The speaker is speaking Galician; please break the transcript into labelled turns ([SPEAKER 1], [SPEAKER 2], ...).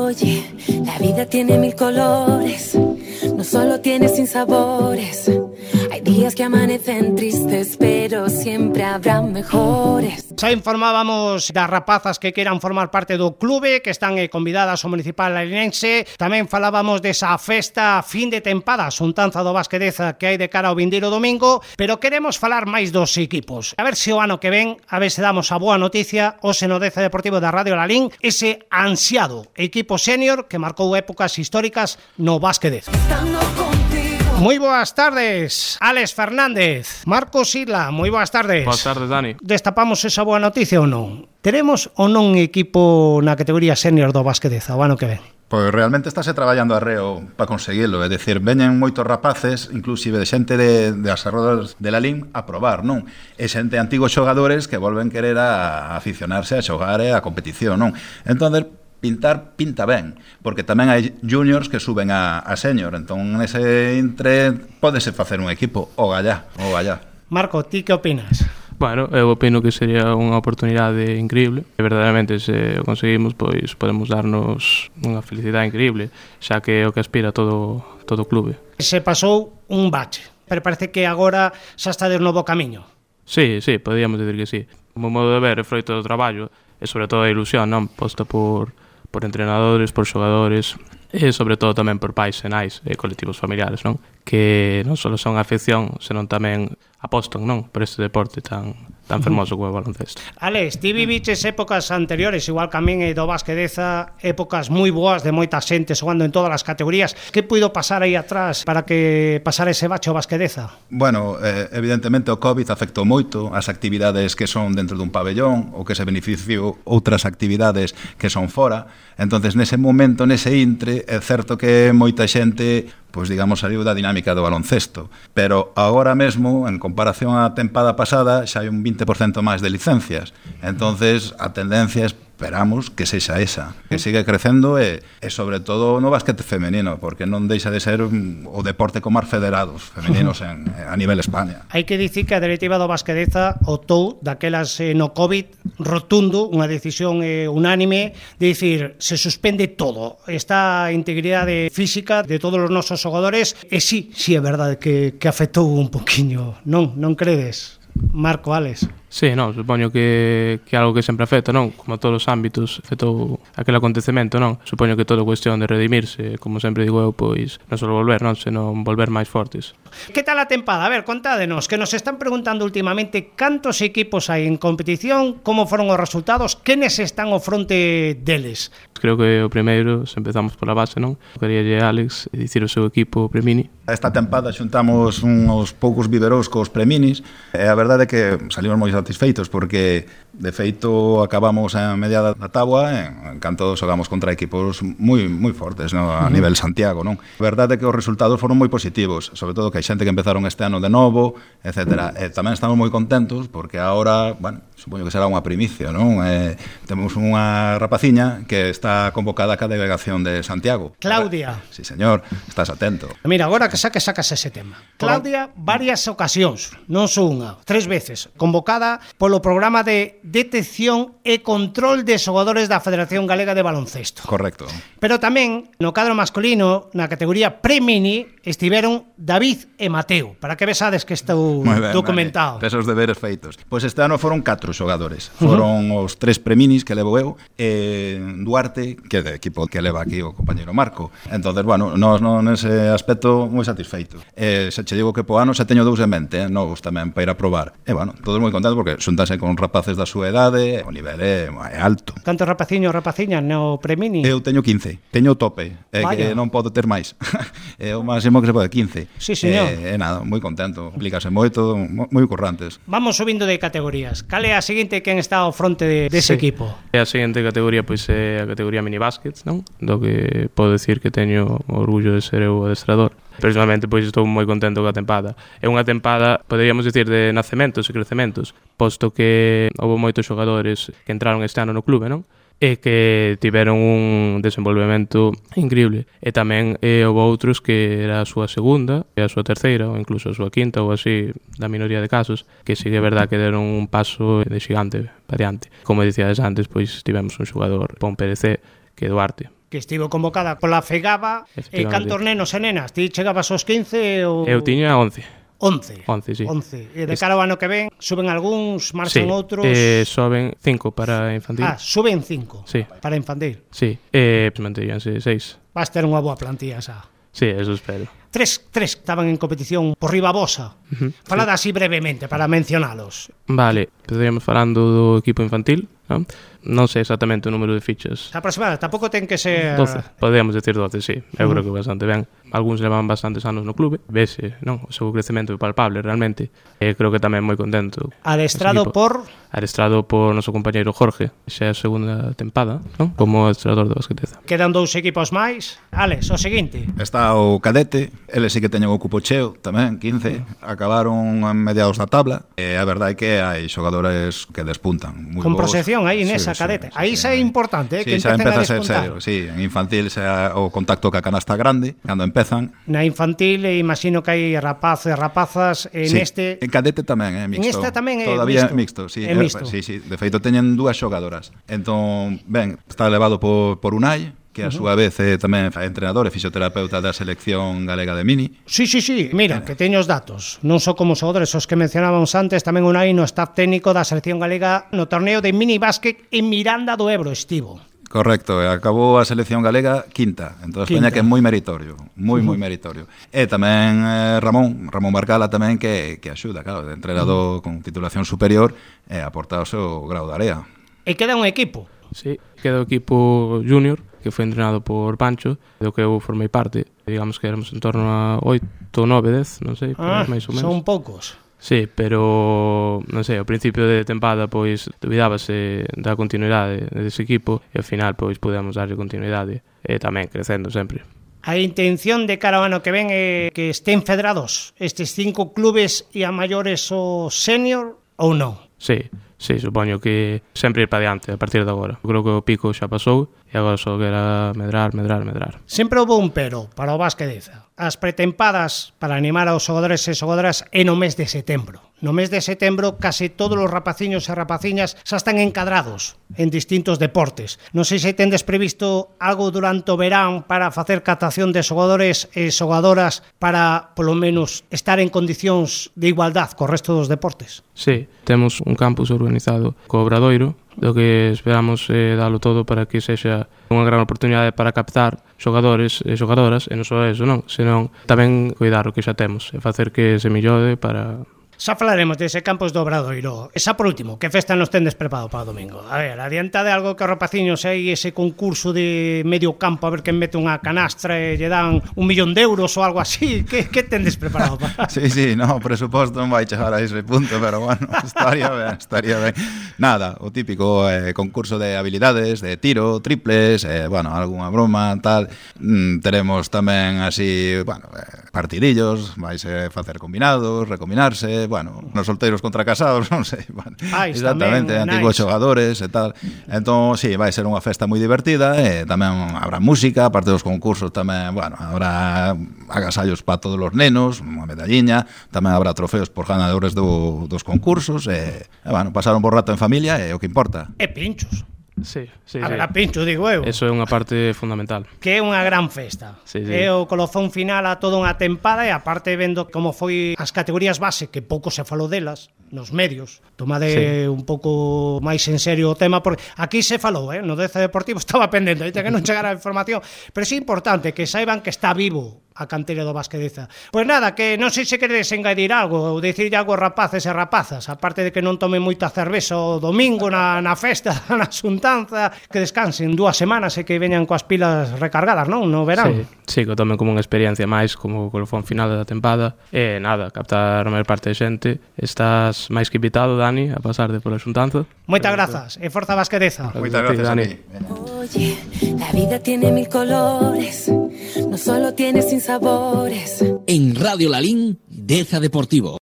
[SPEAKER 1] Oye, la vida tiene mil colores, no solo tiene sinsabores. Hay días que amanecen tristes, pero siempre habrá mejores.
[SPEAKER 2] Xa informábamos das rapazas que queiran formar parte do clube, que están convidadas ao Municipal Larinense. Tamén falábamos desa festa fin de tempada, xuntanza do Basquedeza que hai de cara ao vindeiro domingo, pero queremos falar máis dos equipos. A ver se o ano que ven, a ver se damos a boa noticia hoxe no Deza Deportivo da Radio Lalín, ese ansiado equipo senior que marcou épocas históricas no Basquedeza. Moi boas tardes, Alex Fernández, Marcos Isla, moi boas tardes.
[SPEAKER 3] Boas tardes, Dani.
[SPEAKER 2] Destapamos esa boa noticia ou non? Teremos ou non un equipo na categoría senior do Basquedeza o ano que ven?
[SPEAKER 4] Pois realmente estáse traballando arreo para conseguilo, é dicir, veñen moitos rapaces, inclusive de xente das arrodas de Lalín a probar, non? E xente antigos xogadores que volven querer a aficionarse a xogar e a competición, non? Entón, pinta ben, porque tamén hai juniors que suben a senior, entón nese intre pódese facer un equipo, o gallá.
[SPEAKER 2] Marco, ti que opinas?
[SPEAKER 3] Bueno, eu opino que sería unha oportunidade increíble e verdadeiramente se o conseguimos, pois podemos darnos unha felicidade increíble, xa que é o que aspira todo o clube.
[SPEAKER 2] Se pasou un bache, pero parece que agora xa está de novo camiño.
[SPEAKER 3] Sí, podíamos decir que sí. O meu modo de ver é froito do traballo e sobre todo a ilusión, non? Posta por entrenadores, por xogadores e sobre todo tamén por pais e nais e colectivos familiares, non? Que non só son afección, senón tamén apostan, non? Por este deporte tan fermoso como o baloncesto.
[SPEAKER 2] Alex, ti viviches épocas anteriores, igual que a min e do Basquedeza, épocas moi boas de moita xente xogando en todas as categorías. Que puido pasar aí atrás para que pasara ese bache o Basquedeza?
[SPEAKER 4] Bueno, evidentemente o COVID afectou moito as actividades que son dentro dun pabellón ou que se beneficiou outras actividades que son fora. Entonces, nese momento, nese intre, é certo que moita xente, pois digamos, saliu da dinámica do baloncesto, pero agora mesmo, en comparación á tempada pasada, xa hai un 20% máis de licencias. Entonces, a tendencia esperamos que sexa esa, que siga crecendo e sobre todo no basquete femenino, porque non deixa de ser o deporte con máis federados femeninos a nivel España.
[SPEAKER 2] Hai que dicir que a directiva do Basquedeza optou daquelas no COVID rotundo, unha decisión unánime de dicir, se suspende todo, esta integridade física de todos os nosos xogadores, e sí é verdade que afectou un poquinho, non credes? Marco, Alex.
[SPEAKER 3] Sí, non, supoño que algo que sempre afecta, non? Como a todos os ámbitos, afectou aquel acontecemento, non? Supoño que todo cuestión de redimirse, como sempre digo eu, pois non só volver, non? Senón volver máis fortes.
[SPEAKER 2] Que tal a tempada? A ver, contádenos, que nos están preguntando últimamente cantos equipos hai en competición, como foron os resultados, quenes están ao fronte deles.
[SPEAKER 3] Creo que o primeiro, se empezamos pola base, non? Queríalle Alex dicir o seu equipo Premini.
[SPEAKER 4] Esta tempada xuntamos uns poucos viveros cos Preminis e a verdade é que salimos moi satisfeitos porque de feito acabamos a media da táboa en canto xogamos contra equipos moi fortes, no? A nivel Santiago, non? A verdade é que os resultados foron moi positivos, sobre todo que hai xente que empezaron este ano de novo, etcétera. E tamén estamos moi contentos porque agora, bueno, supoño que será unha primicia, non? Temos unha rapaciña que está convocada ca delegación de Santiago.
[SPEAKER 2] Claudia.
[SPEAKER 4] Sí, señor, estás atento.
[SPEAKER 2] Mira, agora que sacas ese tema. Claudia, varias ocasións, non só unha, 3 veces, convocada polo programa de detección e control de xogadores da Federación Galega de Baloncesto.
[SPEAKER 4] Correcto.
[SPEAKER 2] Pero tamén, no cadro masculino, na categoría Premini, estiveron David e Mateo. Para que vesades que estou documentado.
[SPEAKER 4] Esos deberes feitos. Pois este ano foron 4 xogadores. Foron os 3 Preminis que levo eu, e Duarte, que é de equipo que leva aquí o compañeiro Marco. Entonces, bueno, nós nese aspecto moi satisfeitos. Se che digo que po ano xa teño 2 en mente, novos tamén, para ir a probar. E, bueno, todos moi contentos porque xuntanse con rapaces da súa idade, o nivel é alto.
[SPEAKER 2] Cantos rapaciñas no Premini?
[SPEAKER 4] Eu teño 15, teño o tope, que non podo ter máis. É o máximo que se pode, 15.
[SPEAKER 2] Sí, señor.
[SPEAKER 4] Nada, moi contento, implícase moito, moi currantes.
[SPEAKER 2] Vamos subindo de categorías. Cal é a seguinte quen está ao fronte dese equipo?
[SPEAKER 3] A seguinte categoría pois é a categoría minibásquet, non? Do que podo decir que teño orgullo de ser eu o adestrador. Personalmente, pois estou moi contento coa tempada. É unha tempada, poderíamos dicir, de nacementos e crecementos, posto que houve moitos xogadores que entraron este ano no clube, non? E que tiveron un desenvolvemento increíble. E tamén houve outros que era a súa segunda, e a súa terceira, ou incluso a súa quinta, ou así, da minoría de casos, que sí que é verdad que deron un paso de xigante para diante. Como dicíades antes, pois tivemos un xogador pon PDC, que é Duarte.
[SPEAKER 2] que estivo convocada pola FEGABA. E cantos nenos e nenas? Ti chegabas aos 15 ou...
[SPEAKER 3] Eu tiña 11.
[SPEAKER 2] 11,
[SPEAKER 3] sí.
[SPEAKER 2] 11. E de cara ao ano que ven, suben algúns, marchan outros...
[SPEAKER 3] Soben 5 para infantil.
[SPEAKER 2] Suben 5
[SPEAKER 3] sí.
[SPEAKER 2] Para infantil.
[SPEAKER 3] Sí, manteríanse 6.
[SPEAKER 2] Vas ter unha boa plantilla xa.
[SPEAKER 3] Sí, eso espero.
[SPEAKER 2] Tres estaban en competición por riba vosa. Falada así brevemente para mencionalos.
[SPEAKER 3] Vale, estaríamos falando do equipo infantil, non? Non sei exactamente o número de fichas.
[SPEAKER 2] Aproximada, tampouco ten que ser...
[SPEAKER 3] 12, podemos decir 12, sí. Eu creo que bastante ben. Algúns levan bastantes anos no clube, vese, non? O seu crecemento é palpable, realmente. E creo que tamén moi contento. Adestrado por noso compañeiro Jorge, xa é a segunda tempada, non? Como adestrador do basqueteza.
[SPEAKER 2] Quedan 2 equipos máis. Alex, o seguinte.
[SPEAKER 4] Está o cadete, eles sí que teñen o cupo cheo tamén, 15. Acabaron a mediados da tabla. E a verdade é que hai xogadores que despuntan.
[SPEAKER 2] Con proxección aí nesa cadete. Aí xa é importante, que
[SPEAKER 4] xa
[SPEAKER 2] empecen
[SPEAKER 4] empeza
[SPEAKER 2] a despuntar.
[SPEAKER 4] A ser serio, sí. En infantil xa o contacto ca canasta grande, cando empezan.
[SPEAKER 2] Na infantil imagino que hai rapaces, rapazas, neste...
[SPEAKER 4] En cadete tamén é mixto.
[SPEAKER 2] En esta tamén é
[SPEAKER 4] todavía mixto, sí.
[SPEAKER 2] É mixto.
[SPEAKER 4] Sí. De feito teñen 2 xogadoras. Entón, ben, está elevado por Unai, que a súa vez é tamén entrenador e fisioterapeuta da selección galega de mini.
[SPEAKER 2] Sí, mira, que teño os datos. Non só como xogadores os que mencionábamos antes, tamén Unai no staff técnico da selección galega no torneo de mini básquet en Miranda do Ebro estivo.
[SPEAKER 4] Correcto, acabou a selección galega quinta, entón España que é moi meritorio, moi meritorio. E tamén Ramón Barcala tamén que axuda, claro, de entrenador con titulación superior e aporta o seu grau de area.
[SPEAKER 2] E queda un equipo.
[SPEAKER 3] Sí, queda o equipo junior, que foi entrenado por Pancho, do que eu formei parte. Digamos que éramos en torno a 8, 9, 10, non sei, máis ou menos.
[SPEAKER 2] Son poucos.
[SPEAKER 3] Sí, pero, non sei, ao principio de tempada, pois, dubidábase da continuidade dese equipo e ao final, pois, pudemos darlle continuidade e tamén crecendo sempre.
[SPEAKER 2] A intención de cara ao ano que ven é que estén federados estes 5 clubes e a maiores o senior ou non?
[SPEAKER 3] Sí, supoño que sempre ir para diante a partir de agora. Creo que o pico xa pasou e agora só quera medrar.
[SPEAKER 2] Sempre houve un pero para o basqueteza. As pretempadas para animar aos xogadores e xogadoras é no mes de setembro. No mes de setembro case todos os rapaciños e rapaciñas xa están encadrados en distintos deportes. Non sei se tendes previsto algo durante o verán para facer captación de xogadores e xogadoras para, polo menos, estar en condicións de igualdad co resto dos deportes.
[SPEAKER 3] Sí, temos un campus organizado co Obradoiro, do que esperamos dalo todo para que sexa unha gran oportunidade para captar xogadores e xogadoras, e non só eso, non, senón tamén cuidar o que xa temos e facer que se millore para...
[SPEAKER 2] Xa falaremos dese campus do Obradoiro. E xa por último, que festa nos tendes preparado para o domingo? A ver, adianta de algo que os rapaciños hai ese concurso de medio campo a ver quen mete unha canastra e lle dan 1 millón de euros ou algo así. Que tendes preparado para?
[SPEAKER 4] Sí, no, o presuposto non vai chegar a ese punto, pero bueno, estaría ben. Nada, o típico concurso de habilidades, de tiro, triples, bueno, algunha broma, tal. Teremos tamén así, bueno, partidillos, vaise facer combinados, recombinarse, bueno, nos solteiros contra casados, non sei, bueno, exactamente, antigos xogadores e tal. Entón, sí, vai ser unha festa moi divertida e tamén habrá música, aparte dos concursos tamén, bueno, habrá agasallos para todos os nenos, unha medalliña, tamén habrá trofeos por ganadores dos concursos e bueno, pasar un bo rato en familia é o que importa.
[SPEAKER 2] E pinchos.
[SPEAKER 3] Sí.
[SPEAKER 2] A ver, a pincho, digo eu.
[SPEAKER 3] Eso é unha parte fundamental.
[SPEAKER 2] Que é unha gran festa.
[SPEAKER 3] Sí.
[SPEAKER 2] É o colofón final a toda unha tempada e aparte vendo como foi as categorías base, que pouco se falou delas nos medios. Tomade un pouco máis en serio o tema, porque aquí se falou, no Deza Deportivo estaba pendente, que non chegara a información, pero é importante que saiban que está vivo a cantera do basqueteza. Pois nada, que non sei se queredes engadir algo ou dicirlle algo aos rapaces e rapazas, aparte de que non tomen moita cerveza o domingo na festa, na xuntanza, que descansen 2 semanas e que veñan coas pilas recargadas, non? No verán.
[SPEAKER 3] Sí, que tomen como unha experiencia máis, como o colofón final da tempada. E nada, captar a maior parte de xente. Estás máis que invitado, Dani, a pasarte pola xuntanza.
[SPEAKER 2] Moitas grazas e forza basqueteza.
[SPEAKER 4] Moitas grazas, Dani.
[SPEAKER 1] Oye, la vida tiene 1000 colores, no solo tiene sin sabores.
[SPEAKER 5] En Radio Lalín, Deza Deportivo.